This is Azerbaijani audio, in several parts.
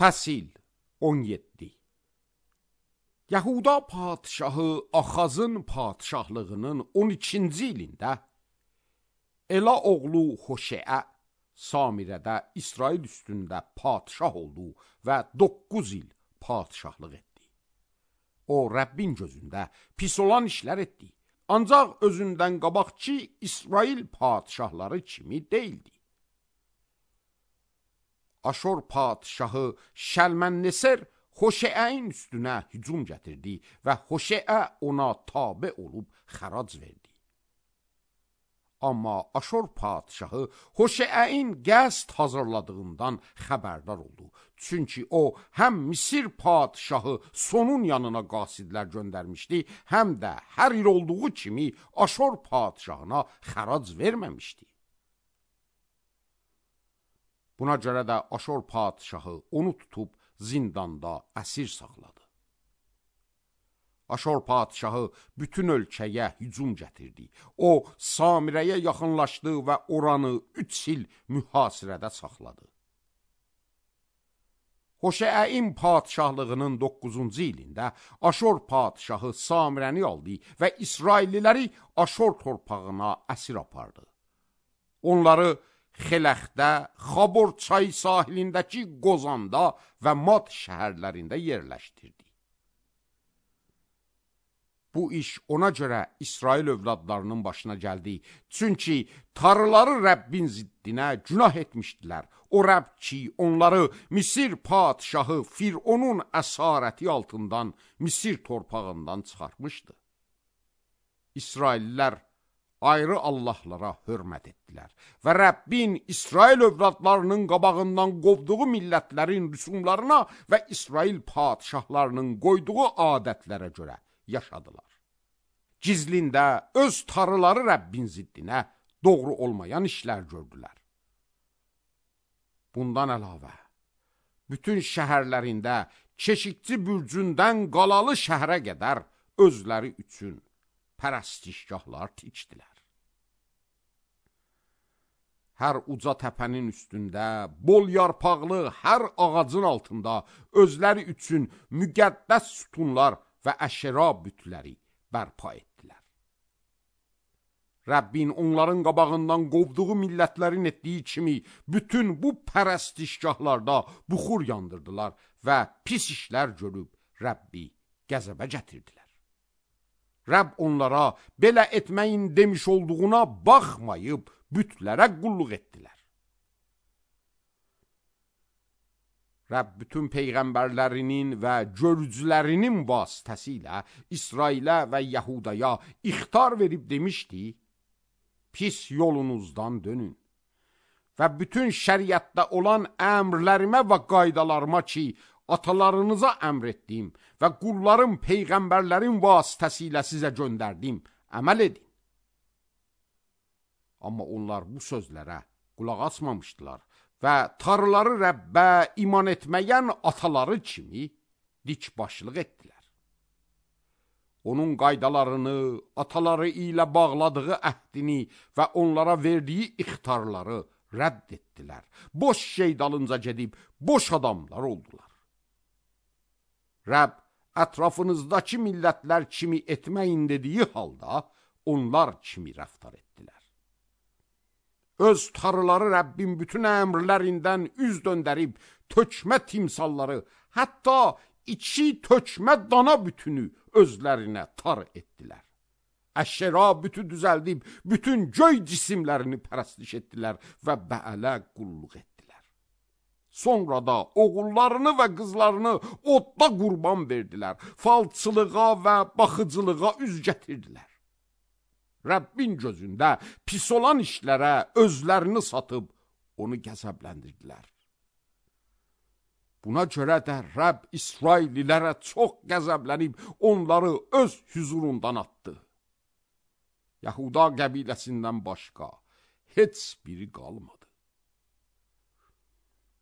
Fəsil 17. Yahuda padşahı Axazın padşahlığının 12-ci ilində Ela oğlu Hoşeə Samirədə İsrail üstündə padşah oldu və 9 il padşahlıq etdi. O, Rəbbin gözündə pis olan işlər etdi. Ancaq özündən qabaqçı İsrail padşahları kimi deyildi. Aşor padşahı Şəlmənneser Hoşeəin üstünə hücum gətirdi və Hoşeə ona tabe olub xərac verdi. Amma Aşor padşahı Hoşeəin qəsd hazırladığından xəbərdar oldu. Çünki o, həm Misir padşahı Sonun yanına qasidlər göndərmişdi, həm də hər il olduğu kimi Aşor padşahına xərac verməmişdi. Buna görə də Aşor padşahı onu tutub zindanda əsir saxladı. Aşor padşahı bütün ölkəyə hücum gətirdi. O, Samirəyə yaxınlaşdı və oranı 3 il mühasirədə saxladı. Hoşeəin padşahlığının 9-cu ilində Aşor padşahı Samirəni aldı və İsrailliləri Aşor torpağına əsir apardı. Onları Xeləxdə, Xabor çayı sahilindəki Qozanda və Mad şəhərlərində yerləşdirdi. Bu iş ona görə İsrail övladlarının başına gəldi. Çünki tarıları Rəbbin ziddinə günah etmişdilər. O Rəbb ki, onları Misir padşahı Fironun əsarəti altından Misir torpağından çıxartmışdı. İsraillilər ayrı Allahlara hörmət etdilər və Rəbbin İsrail övladlarının qabağından qovduğu millətlərin rüsumlarına və İsrail padşahlarının qoyduğu adətlərə görə yaşadılar. Gizlində öz tarıları Rəbbin ziddinə doğru olmayan işlər gördülər. Bundan əlavə, bütün şəhərlərində keşikçi bürcündən qalalı şəhərə qədər özləri üçün pərəstişgahlar tikdilər. Hər uca təpənin üstündə, bol yarpaqlı hər ağacın altında özləri üçün müqəddəs sütunlar və əşera bütləri bərpa etdilər. Rəbbin onların qabağından qovduğu millətlərin etdiyi kimi bütün bu pərəstişgahlarda buxur yandırdılar və pis işlər görüb Rəbbi qəzəbə gətirdilər. Rəbb onlara belə etməyin demiş olduğuna baxmayıb bütlərə qulluq etdilər. Rəbb bütün peyğəmbərlərinin və görücülərinin vasitəsilə İsrailə və Yahudaya ixtar verib demişdi, pis yolunuzdan dönün və bütün şəriətdə olan əmrlərimə və qaydalarıma ki, atalarınıza əmr etdim və qulların peyğəmbərlərin vasitəsilə sizə göndərdim, əməl edin. Amma onlar bu sözlərə qulaq asmamışdılar və tarıları Rəbbə iman etməyən ataları kimi dikbaşlıq etdilər. Onun qaydalarını, ataları ilə bağladığı əhdini və onlara verdiyi ixtarları rədd etdilər. Boş şey dalınca gedib, boş adamlar oldular. Rəbb, ətrafınızdakı millətlər kimi etməyin dediyi halda, onlar kimi rəftar etdilər. Öz tarıları Rəbbin bütün əmrlərindən üz döndərib, tökmə timsalları, hətta içi tökmə dana bütünü özlərinə tar etdilər. Əşera bütü düzəldib, bütün göy cisimlərini pərəstiş etdilər və Bəələ qulluq etdilər. Sonra da oğullarını və qızlarını odda qurban verdilər, falçılığa və baxıcılığa üz gətirdilər. Rəbbin gözündə pis olan işlərə özlərini satıb onu qəzəbləndirdilər. Buna görə də Rəbb İsraillilərə çox qəzəblənib onları öz hüzurundan atdı. Yahuda qəbiləsindən başqa heç biri qalmadı.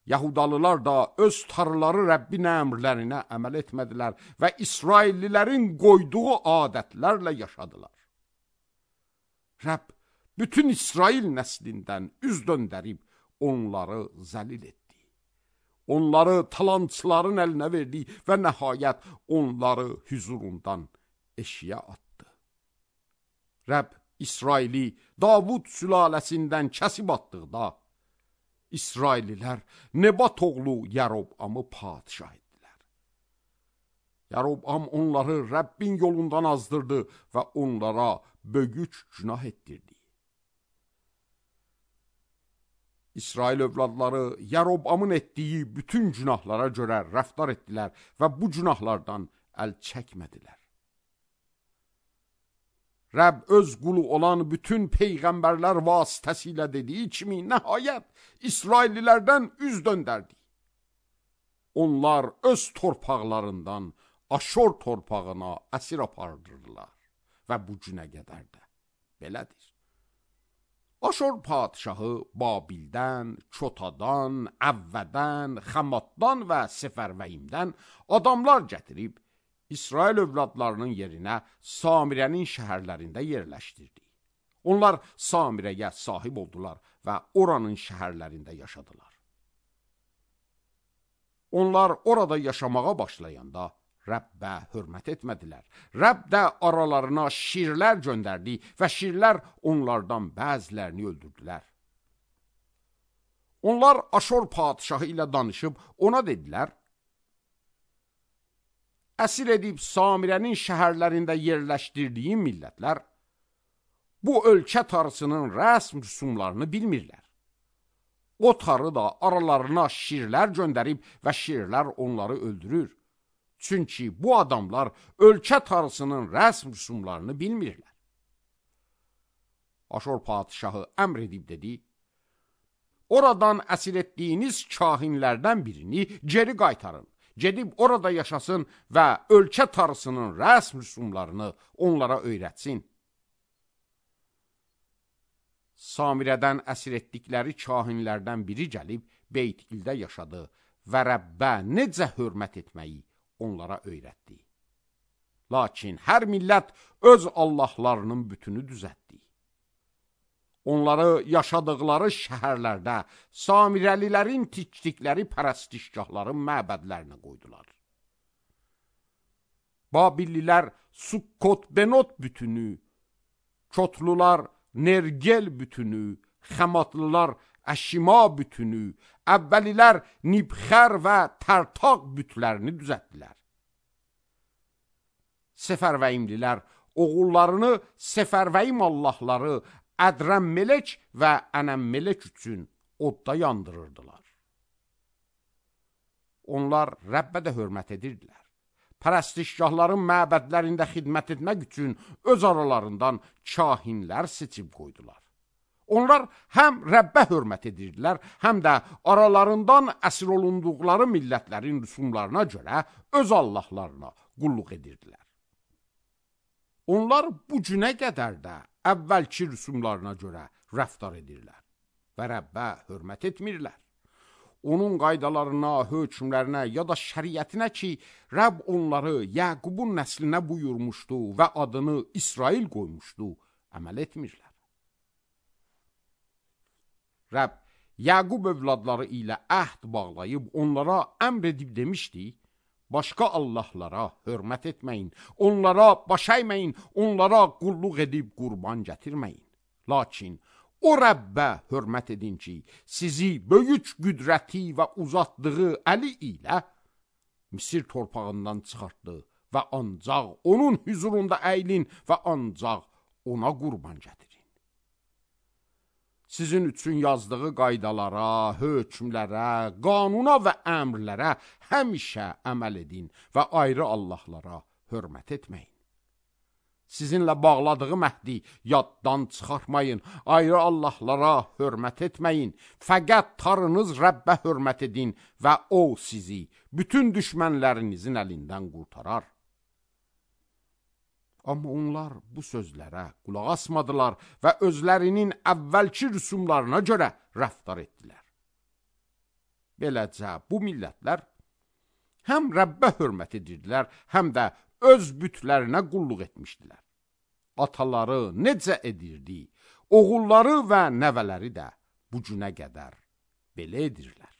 Yahudalılar da öz tarıları Rəbbin əmrlərinə əməl etmədilər və İsraillilərin qoyduğu adətlərlə yaşadılar. Rəbb bütün İsrail nəslindən üz döndərib onları zəlil etdi. onları talançıların əlinə verdi və nəhayət onları hüzurundan eşiyə atdı. Rəbb İsraili Davud sülaləsindən kəsib atdıqda, İsraililər Nebat oğlu Yarobamı padişah etdilər. Yarobam onları Rəbbin yolundan azdırdı və onlara böyük günah etdirdi. İsrail övladları Yarobamın etdiyi bütün günahlara görə rəftar etdilər və bu günahlardan əl çəkmədilər. Rəbb öz qulu olan bütün peyğəmbərlər vasitəsilə dediyi kimi nəhayət İsraillilərdən üz döndərdi. Onlar öz torpaqlarından Aşor torpağına əsir apardırdılar və bu günə qədər də belədir. Aşor padişahı Babildən, Çotadan, Əvvədən, Xamatdan və Sefərvəyimdən adamlar gətirib İsrail övladlarının yerinə Samirənin şəhərlərində yerləşdirdi. Onlar Samirəyə sahib oldular və oranın şəhərlərində yaşadılar. Onlar orada yaşamağa başlayanda Rəbbə hörmət etmədilər. Rəbb də aralarına şirlər göndərdi və şirlər onlardan bəzilərini öldürdülər. Onlar Aşor padişahı ilə danışıb ona dedilər: əsir edib Samirənin şəhərlərində yerləşdirdiyi millətlər bu ölkə tarısının rəsm rüsumlarını bilmirlər. O tarı da aralarına şirlər göndərib və şirlər onları öldürür. Çünki bu adamlar ölkə tarısının rəsm rüsumlarını bilmirlər. Aşor padişahı əmr edib dedi: oradan əsir etdiyiniz kahinlərdən birini geri qaytarın. Gedib orada yaşasın və ölkə tarısının rəsm rüsumlarını onlara öyrətsin. Samirədən əsir etdikləri kahinlərdən biri gəlib Beyt-İldə yaşadı və Rəbbə necə hörmət etməyi onlara öyrətdi. Lakin hər millət öz Allahlarının bütünü düzəltdi. Onları yaşadıkları şəhərlərdə Samirəlilərin tikdikləri pərəstişgahların məbədlərinə qoydular. Babillilər Sukkot-Benot bütünü, Çotlular Nergel bütünü, Xəmatlılar Əşima bütünü, əvvəlilər Nibxər və Tərtaq bütlərini düzəltdilər. Sefərvəyimlilər oğullarını Sefərvəyim Allahları Ədrəmmelek və Ənəmmelek üçün odda yandırırdılar. Onlar Rəbbə də hörmət edirdilər. Pərəstişgahların məbədlərində xidmət etmək üçün öz aralarından kahinlər seçib qoydular. Onlar həm Rəbbə hörmət edirdilər, həm də aralarından əsir olunduqları millətlərin rüsumlarına görə öz Allahlarına qulluq edirdilər. Onlar bu günə qədər də əvvəlki rüsumlarına görə rəftar edirlər və Rəbbə hörmət etmirlər. Onun qaydalarına, hökmlərinə ya da şəriətinə ki, Rəbb onları Yaqubun nəslinə buyurmuşdu və adını İsrail qoymuşdu, əməl etmirlər. Rəbb Yaqub övladları ilə əhd bağlayıb onlara əmr edib demişdi: başqa Allahlara hörmət etməyin, onlara baş əyməyin, onlara qulluq edib qurban gətirməyin. Lakin o Rəbbə hörmət edin ki, sizi böyük qüdrəti və uzatdığı əli ilə Misir torpağından çıxartdı və ancaq onun hüzurunda əylin və ancaq ona qurban gətirin. Sizin üçün yazdığı qaydalara, hökmlərə, qanuna və əmrlərə həmişə əməl edin və ayrı Allahlara hörmət etməyin. Sizinlə bağladığı məhdi yaddan çıxartmayın, ayrı Allahlara hörmət etməyin. Fəqət tarınız Rəbbə hörmət edin və o sizi bütün düşmənlərinizin əlindən qurtarar. Amma onlar bu sözlərə qulaq asmadılar və özlərinin əvvəlki rüsumlarına görə rəftar etdilər. Beləcə bu millətlər həm Rəbbə hörmət edirdilər, həm də öz bütlərinə qulluq etmişdilər. Ataları necə edirdi, oğulları və nəvələri də bu günə qədər belə edirlər.